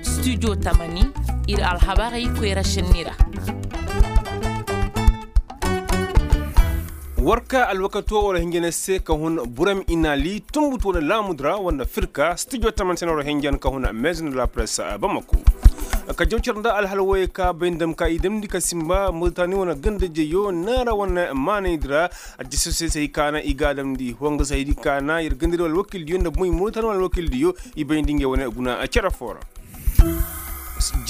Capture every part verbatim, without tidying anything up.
Studio tamani, ir alhabarey koyra šenni ra. War ka alwakato war hinjane se ka hun burem inali tumbutu wane laamudi ra wanda firka studio tamani se na war hinjan ka hun maison de la presse bamako. Ka jaw care nda alhal woyey ka bay nda dam ka i damndi ka simba muritani wane ganda jeyo naara wane maanaydi ra. Addisasey se hay ka na i ga a damndi honga se haydi ka na yer gandadi wala alwakildiyo nda bomoy muritani wala alwakildiyo i bayndi ngey wane guna care foo ra.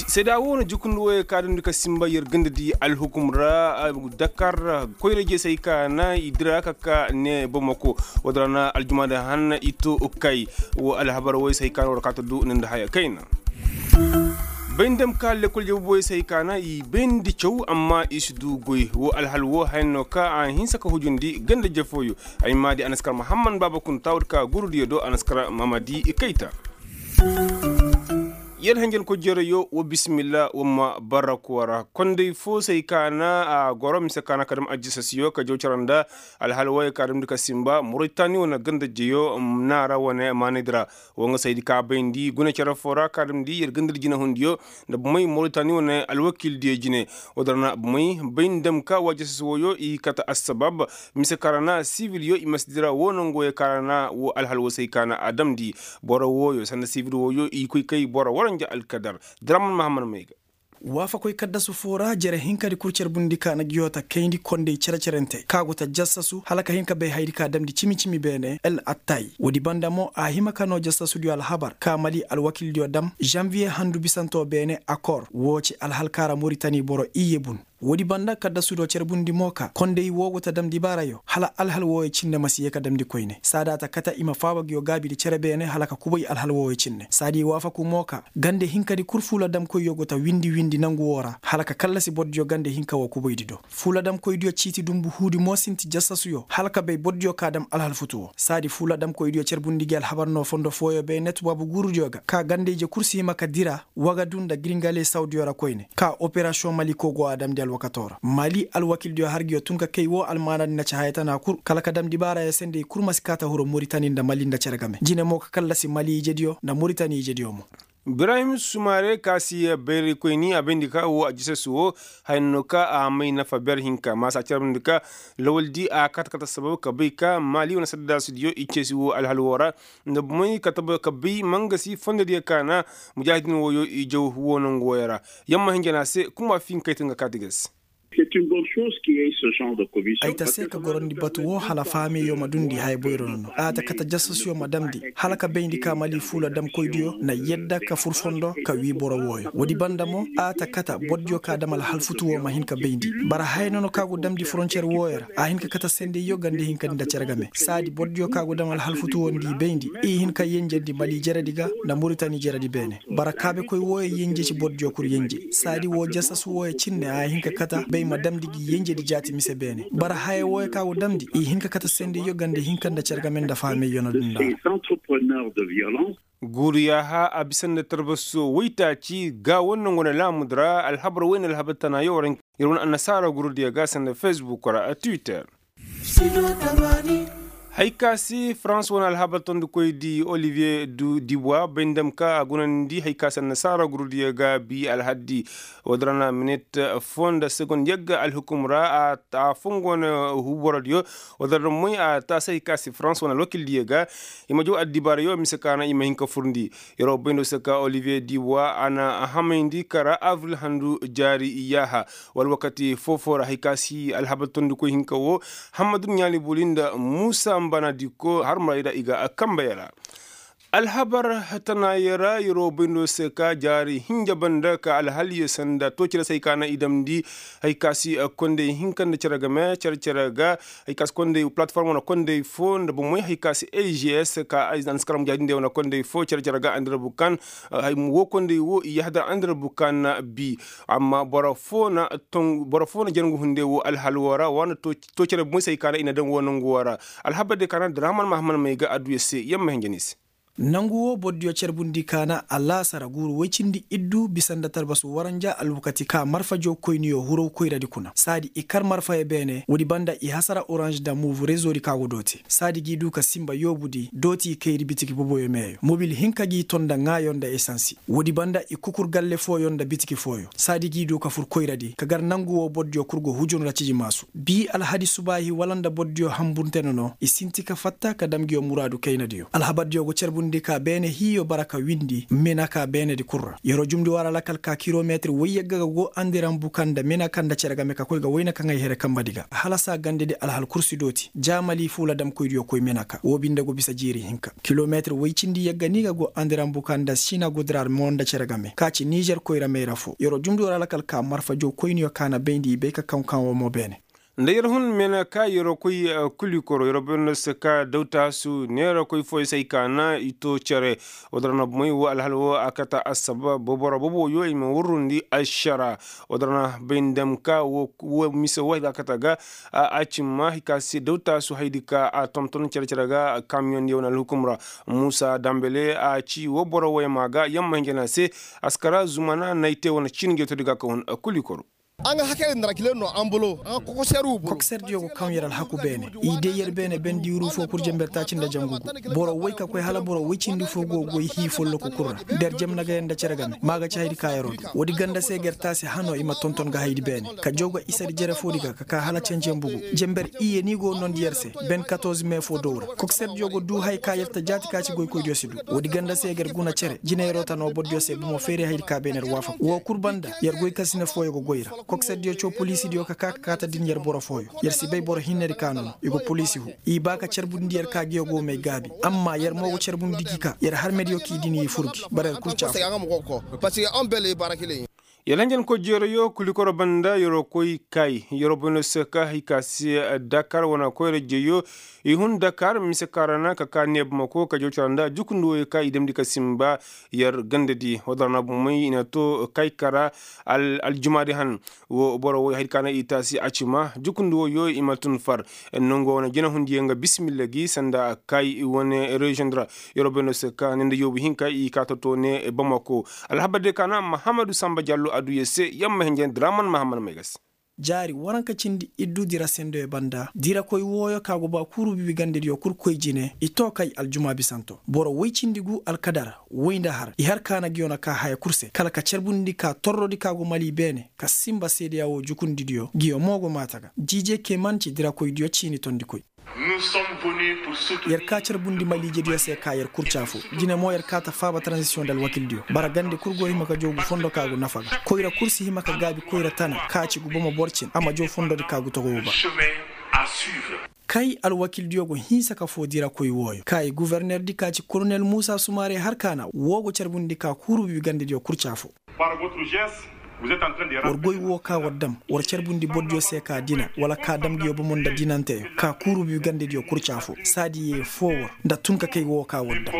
Seeda woo na jukundi woyey ka damndi ka simba yer gandadi alhukum ra. Dakar koyra jee se hay ka na i dira ka ka ne bamako. Woodi ra na aljumaadi hanna i to kay. Woo alhabar woy se hay ka na war kaata du ni nda haya kayna. Bay nda dam ka lekkol jabuboyey se hay ka na i bayndi caw amma i si du goy woo alhal woo haya no ka a hinsa ka hujundi ganda jefooyo. Ay maadi a na si kar mahamman baaba kunta woodi ka gurudiyo do a na si kar mamadi kayta. Yer hanjankoy jereyo wa bisimilla wa ma barraku wara konday foo se hay ka na a goro mise ka na ka dam ajjasasiyo ka jaw care nda alhal woyey ka damndi ka simba moritani wane ganda jeyo. Naara wane maanaydi ra. Woo nga se haydi ka bayndi guna care foo ra ka damndi yer gandadi jinahundiyo nda bomey moritani wane alwakildiyo jine. Woodi ra na bomey bay nda dam ka wa ajjasasi wooyo i kate assabab mise ka ra na sivilyo i ma si dira woo nongu woyey ka ra na woo alhal woo se hay ka na a damndi. Boro wooyo sanda sivil wooyo i koy kay boro waranja alkadar. Diraman mahamman may ga. Waafakoy kaddasu foo ra jere hinkadi kul carbundi ka na ngi yoo ta kayndi konday cere-cerente ka go ta jassasu hala ka hin ka bay hayadi ka damndi cimi-cimi beene el attay. Woodi banda mo a hima ka noo jassasudiyo alhabar ka mali alwakildiyo dam janviye handu bisantoo beene akor woo ci alhal ka ra moritani boro iyye bun. Woodi banda kaddasudiyo carbundi mo ka konday woo go ta damndi baarayo hala alhal wooyo cinne ma si yee ka damndi koyne saadi a ta kate i ma faaba ngi yoo gaabidi cere beene hala ka kubay alhal wooyo cinne saadi i waafaku mo ka gande hinkadi kul fuula damkoyyo go ta windi windi nangu woo ra hala ka kallasi bordiyo gande hinka woo kubaydi do. Fuula damkoydiyo ciiti dunbu huudi mo sinti jassasuyo hala ka bay bordiyo ka dam alhal futu woo saadi fuula damkoydiyo carbundi ngi alhabar no fondo fooyo bay ne tubaabu guurudiyo ga ka gande-ije kul si hima ka dira wagadu nda giringale sawdiyo ra koyne ka operasiyoŋ maliko go a damndi alwakatoo ra mali alwakildiyo har ngi yoo tun ka kay woo almaanadi nda ci haya tana kul kala ka damndi baaraya se nda i kul ma si kaa ta huru moritani nda mali nda cere game jine mo ka kallasi mali ijediyo nda moritani ijediyo mo. Ibrahim sumare ka si bayraykoyni a bayndi ka woo ajjasasi woo haya no ka a may nafa ber hinka maasa a carbundi ka lawaldi a kata kata sabab ka bay ka mali wane saddaasidiyo i ceesi woo alhal woo ra nda bomey ka bay mangasi fondodiyo ka na mujaahidin wooyo i jaw woo nongu wooyo ra. Yamma hinja na a se kuma finkayte nga kaati ga se. Ay ta se ka gorandi batu woo hala fahameyyo ma dundi haya boyro nono a ta kata jasasyo ma damndi hala ka bayndi ka mali fuula damkoydiyo na yadda ka fur fondo ka wii boro wooyo woodi banda mo a ta kata bordiyo ka dam alhalfutu woo ma hin ka bayndi. Bara haya nono ka go damndi foroncer wooyo ra a hin ka kata sendeyyo gande hinkadi nda cere game saadi bordiyo ka go dam alhalfutu woo nda i bayndi i hin ka yenjendi mali jeredi ga nda muritani jeredi beene. Bara kaabekoy wooyo yenje ci bordiyo kul yenje saadi woo jasasu wooyo cinne a hin ka kata bay ma damndi gi yenjedi jaati mise beene bara haya wooyo ka go damndi i hin ka kata sendeyyo gande hinka nda cere game nda fahameyyo na dunda. Guuru yaaha a bisa nda tarbaso woytaaci ga woo nongo na laamudi ra alhabar woy na alhabar tanaayo war yer wane annasaara gurudiyo ga sanda fesbuk ra twitter. Hay ka se farans wane alhabar tondikoydi olivier dubois bay nda dam ka a gunandi hay ka se annasaara gurudiyo ga bi alhaddi. Woodi ra na minit foo nda segond yagga alhukum ra a fongo na huuborodiyo. Woodi ra moy a taasi hay ka se farans wane alwakildiyo ga i ma jaw addibaarayo mise ka na i ma hin ka furndi. Yeroo bayndo se ka olivier diwa a na hamayndi kara avril handu jaari yaaha. Wala wakati foo-foo ra hay ka si alhabar tondikoy hinka woo hammadu ɲaali boli nda muusa mbanadiko har murayda i ga a kambe yara. Alhabar tanaayey ra yeroo bayndo se ka jaari hinja banda ka alhaliyo sanda too cere se hay ka na i damndi. Hay ka si kondey hinka nda cere game cere-cere ga hay ka si kondey palatform wane kondey foo nda bomey hay ka si a g s ka ay na si kar mujaahidindiyo wane kondey foo cere-cere ga andira bukan. Woo kondey woo i yahadar andira bukan bi. Amma boro foo na jangu hunday woo alhal woo ra wa na too cere bomey se hay ka na i na daŋ woo nongu woo ra. Alhabar diyo ka na draman mahaman may ga adduya se yamma hinja ni se. Nangu woo bordiyo carbundi ka na alaasara guuru woy cindi iddu bisa nda talbasu waranja alwakati ka marfajo koyniyo huraw koyradi kuna saadi i kar marfayo beene woodi banda i hasara oranž nda muuv rezoodi ka go dooti saadi g'i duu ka sinba yoobudi dooti i kayri bitiki boboyo meeyo mobil hinka g'i ton nda ŋaayo nda esansi woodi banda i kukur galle fooyo nda bitiki fooyo saadi g'i duu ka fur koyradi ka gar nangu woo bordiyo kul go hujun ra ciji maasu bii alhadi subaahi wala nda bordiyo hanbunte nono i sinti ka fatta ka dam nguyo muraadu kaynadiyo alhabardiyo go carbundi ka beene hiiyo bara ka windi menaka beenedi kul ra yer'o jumndi war alakal ka kilometir woy yagga ga go andiran buka nda menaka nda cere game ka koy ga wayna kaŋ ay here kambadi ga halasa gandedi alhal kursi dooti jaamali fuula damkoydiyo koy menaka woo binde go bisa jiiri hinka kilometir woy cindi yagga ni ga go andiran buka nda sina gudrar mo nda cere game ka ci nizer koyra mayra foo yer'o jumndi war alakal ka marfa jow koyniyo ka na bayndi i bay ka kaŋ kaŋ woo mo beene nda yer hun mena ka yer'o koy kulikoro yer'o bayndi se ka dawtaasu neera koy fooyo se ay ka na i too cere woo dara na bomey woo alhal woo a kata assaba boboro boboyo i ma wurrundi ašara woo dara na bay ndam ka woo mise woo hay ga a kata ga a cimma hay ka se dawtaasu haydi ka a tonton cere-cere ga kamiyoŋ diyo wane alhukum ra muusa dambele a ci woo boro wooyo ma ga yamma hinja na se askara zumana na ay te wane ciini ga to di ga ka hun kulikoro kokserdiyo go kaŋ yer alhaku beene i day yer beene bendi wuru foo kul jenber taaci nda jangu gu boro woy ka koy hala boro woy cindi foo go goy hii folloku kul ra nda yer jemna ga yer nda cere game ma ga ci haydi ka yer'o du woodi ganda se ga yer taasi hanoo i ma tonton ga haydi beene ka jaw ga isadi jere foodi ga ka kaa hala canjambu gu jenber iyye ni go noondi yer se ben katorze mee foo dow ra kokserdiyo go duu haya ka yer ta jaati ka ci goykoydiyo si duu woodi ganda se ga yer guna cere jinayroo ta noo bordiyo se bomo feeri haydi ka beene yer waafaku woo kul banda yer goykansine fooyo go goy ra kokserdiyo caw poliisidiyo ka kaa ka kaata din yer boro fooyo yer si bay boro hinnedi ka nono i go poliisi huu i baa ka carbundi yer ka ngiyo go may gaabi amma yer mo go carbundi gi ka yer harmediyo k'i din i fur gi bara yer kul caafu yer hanjankoy jeerayo kulikoro banda yer'o koy kay yer'o boyno se ka hay ka se dakar wane koyra jeyo i hun dakar mise ka ra na ka kaa neebamako ka jaw cara nda jukundi woyo ka i damndi ka sinba yer gandadi woo dara na bomey i na too kay ka ra aljumaadi han woo boro woy haydi ka na i taasi a ci ma jukundi woyo i ma tun far nongu wane jinahundiyaŋ ga bisimilla gi sanda kay wane reziyoŋ di ra yer'o bay no se ka ne nda yoobu hinka i kaa totoo ne bamako alhabar diyo ka na mahammadu samba jallo a duu yer se yamma hinja draman mahammad may ga se jaari waranka cindi iddu dira sendoyo banda dirakoy wooyo ka go ba kuuru bibi gandediyo kul koy jine i too kay aljumaa bisanto boro woy cindi gu alkadar woy nda har i har ka na nguyo na kaa haya kul se kala ka carbundi ka torrodi ka go mali beene ka sinba seedeya woo jukundidiyo nguyo mo go maata ga jiije keman ci dirakoydiyo ciini tondikoy yer kaa carbundi maliijediyo se ka yer kul caafu jine mo yer kaa ta faaba taranzisiyoŋ nda alwakildiyo bara gande kul go hima ka jaw gu fondo ka gu nafa ga koyra kul si hima ka gaabi koyra tana ka ci gu bomo boro cin a ma jaw fondodi ka gu togoyo ba kay alwakildiyo go hinsa ka foo dirakoy wooyo ka i guvernerdi ka ci kolonel muusa sumaare har ka na woo go carbundi ka kuuru bibi gandediyo kul caafu war goy woo ka war dam war carbundi bordiyo se ka dina wala ka dam nguyo bomo nda dinanteyo ka kuuru bi gandediyo kurca foo saadi yee foo war nda tun ka kay woo ka war dam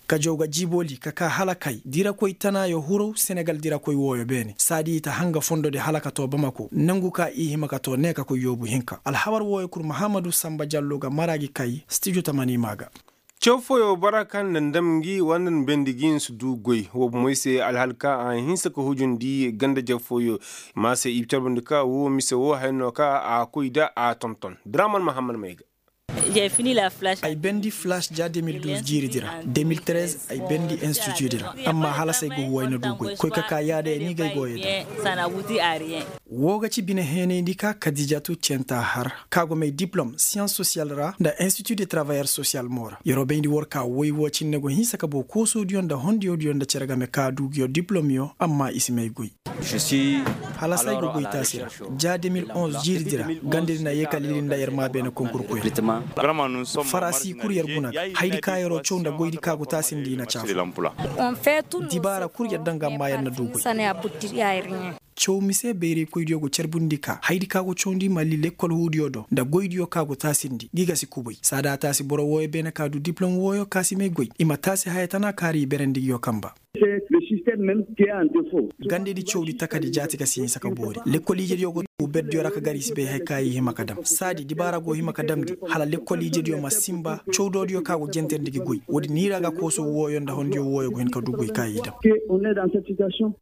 ka jaw ga jiibooli ka kaa hala kay dirakoy tanaayo huraw senegal dirakoy wooyo beene saadi i ta hanga fondodi hala ka too bamako nangu ka i hima ka too ne ka koy yoobu hinka alhabar wooyo kul mahammadu samba jallo ga mara gi kay stijo tamani maa ga caw fooyo bara kaŋ na ndam ngi wala nda na bendi gi nsi du goy woo bomey se alhal ka a hinsa ka hujundi ganda-jaf fooyo ma se i carbandi ka woo mise woo haya no ka a koy nda a tonton draman mahammad may ga ay bendi flash ja deux mille douze jiiridi ra deux mille treize ay bendi institutdi ra amma halas ay go huway na du goy koy ka ka yaada ya ni ga ay go ya daŋ woo ga ci bine heenayndi ka kadijatu centa har ka go may diplom siyans sosiyal ra nda institut de travayar sosiyal mo ra yer'o bayndi war ka woy woo cinne go hinsa ka boo koosoodiyo nda hondiyodiyo nda cere game ka du nguyo diplomyo amma i si may goy halas ay go goy taasi ra ja deux mille onze jiiridi ra gandedi na yee ka lili nda yer maa beene konkur koyra farasi kul yer guna ga haydi ka yer'o caw nda goydi ka go taasindi i na caafu dibaara kul yer daŋ ga amma yer na du goy caw mise bayraykoydiyo go carbundi ka haydi ka go cawndi mali lekkol huudiyo do nda goydiyo ka go taasindi gi ga si kubay saada a taasi boro wooyo beene ka du diplom wooyo ka si may goy i ma taasi haya tana kaari i berandi nguyo kamba Gandedi cawdi takadi jaati ka si hinsa ka boori lekkol ijediyo go tuu berdiyo ra ka gar i si bay hari ka i hima ka dam saadi dibaara go hima ka damndi hala lekkol ijediyo ma sinba cawdoodiyo ka go jenterndi gi goy woodi ni ra ga kooso wooyo nda hondiyo wooyo go hin ka du goy ka i dam.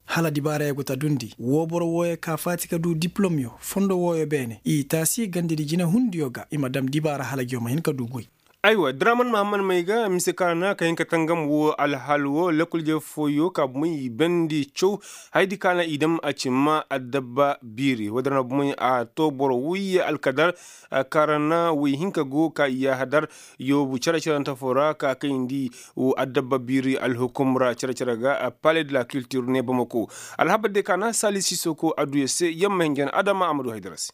Hala dibaarayo go ta dundi woo boro wooyo ka faati ka du dipilomyo fondo wooyo beene i taasi gandedi jinehundiyo ga i ma dam dibaara hala ngiyo ma hin ka du goy. Aywa draman mahamman may ga mise kaŋ ra na ka hin ka tangam woo alhaal woo lekkol ije fooyo ka bomey i bandi caw hayadi kaŋ ra na i dam a ci ma addabba biiri woodi ra na bomey a too boro woyye alkadar kaŋ ra na woy hinka go ka i yaahadar yoobu cere-cerante foo ra ka kayndi addabba biiri alhukum ra cere-cere ga pale de la kiltir ne bamako. Alhabar de kaŋ ra na saali sisoko adduya se yamma hinja na adama amadu haydara se.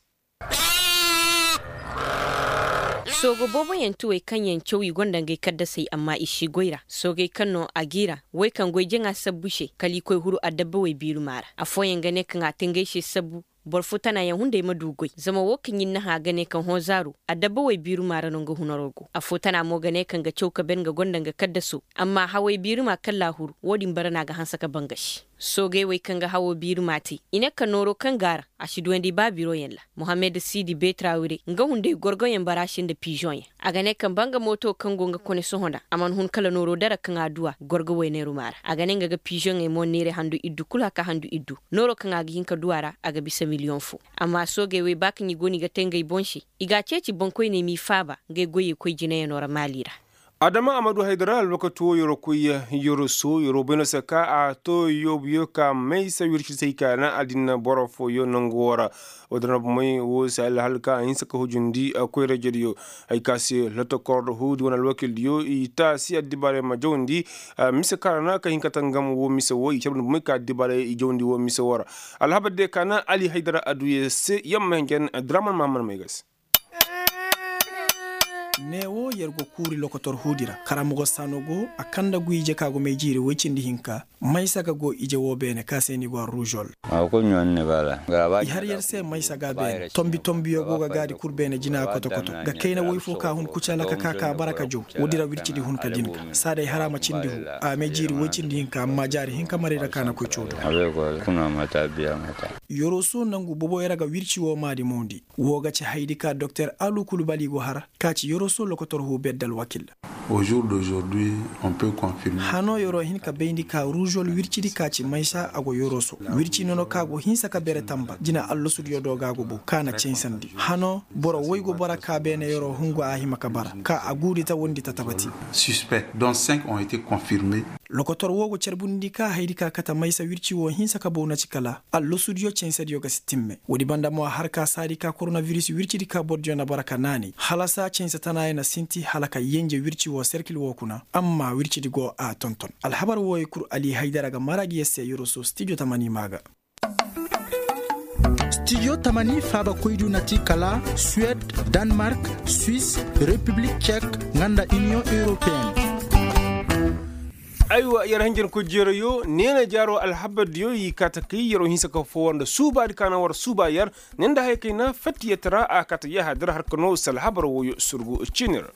Soogo booboyaŋ ti wey kaŋ yaŋ caw i gonda ngey kaddasey amma i si goy ra soogey kaŋ no a g'i ra wey kaŋ goy jaŋa sabbu se kala i koy huru adabba wey biirumaa ra. Affooyaŋ ga ne kaŋ a te ngey se sabbu boro fo tana yaŋ hunday ma du goy zama woo kaŋ ir na hã ga ne kaŋ hõ zaaru adabba wey biirumaa ra no nga hunaroo go. Affoo tana mo ga ne kaŋ ga caw ka ben nga gonda nga kaddasoo amma hawey biirumaa kaŋ laa huru woo din bara no a ga hanse ka bangasi. Soogey wey kaŋ ga hawoo biirumaa te i ne ka nooroo kaŋ go a ra a si duwandi ba biroyaŋ ra. Mohammed siidi beetrawire nga hunday gorgoyaŋ baraasi nda piizoŋyaŋ. A ga ne kaŋ ba nga mooto kaŋ go nga kone sohõ nda a mana hun kala nooroo dara kaŋ a du a gorgo wayneerumaa ra a ga ne nga ga piizoŋey mo neere handu iddu kul haka handu iddu nooroo kaŋ a ga hin ka du a ra a ga bisa miliyoŋ foo. Amma soogey wey ba kaŋ i go no i ga te ngey boŋ se i g'a ceeci boŋkoyney m'i faaba ngey goyey koy jinayanoo ra maali ra. Adama amadu haydara alwakati woo yeroo koy yeroo soo yeroo bay no se ka a too yoobuyo ka maysa wirci se hay ka na adinna boro fooyo nangu woo ra. Woodin ra bomey woo se alhal ka a hinsa ka hujundi koyra-ijediyo hay ka se lotokor huudi wane alwakildiyo i taasi addibaaray ma jawndi mise kaŋ ra na ka hin ka tangam woo mise woo i carbundi bomey ka addibaaray i jawndi woo mise woo ra. Alhabar diyo ka na ali haydara adduya se yamma hinja na draman mahamman may ga se. Neewo yer go kuuri lokotor huudi ra karamogo saano go a kanda guy ije ka go may jiiri woy cindi hinka. Maysa ga go ije woo beene ka se ni go a ruuzol. I har yer se maysa ga beene tombi tombiyo go ga gaadi kul beene jina koto koto ga kayna woy fo ka hun kucala ka ka ka bara ka jaw. Woodi ra wircidi hun ka din ga saa day hara ma cindi hu a may jiiri woy cindi hinka amma jaari hinka maray ra ka na koy coodo. Yoroso nangu boboyo ra ga wirci woo maadi moondi. Woo ga ci hayadi ka doktor alu kulubali go har ka ci yoroso lokotor huu bedde alwakil. Hanoo yeroo hin ka bayndi ka ruuzol wircidi ka ci maysa a go yoroso wirci nono ka go hinsa ka bere tamba jina allasudiyo do ga go bow ka na caysandi hanoo boro woy go bara ka beene yeroo hungu a hima ka bara ka a guudi ta wondi ta tabati. Lokotor woo go carbundi ka hayadi ka kate maysa wirci woo hinsa ka bow na ci kala allasudiyo caysadiyo ga si timme. Woodi banda mo a har ka saadi ka koronabiris wircidi ka borodiyo na bara ka naani halasa cayse tanaayo na sinti hala ka yenje wirci woo serkil woo kuna amma wircidi go a tonton. Alhabar wooyo kul ali haydara ga mara gi yer se yoroso stijo tamani maa ga. Stijo tamani faabakoydiyo na ti kala suwed, danmark, swis, repiblik cek, nga nda iniyoŋ europeen. Aywa yer hanjankoy jeerayo neena jaaro alhabardiyo i kaate kay yeroo hinsa ka foowa nda suubaadi ka na war suuba yer ne nda haya kay na fattiyatara a kaate yahadar har ka noo salhabar wooyo surgu ciini ra.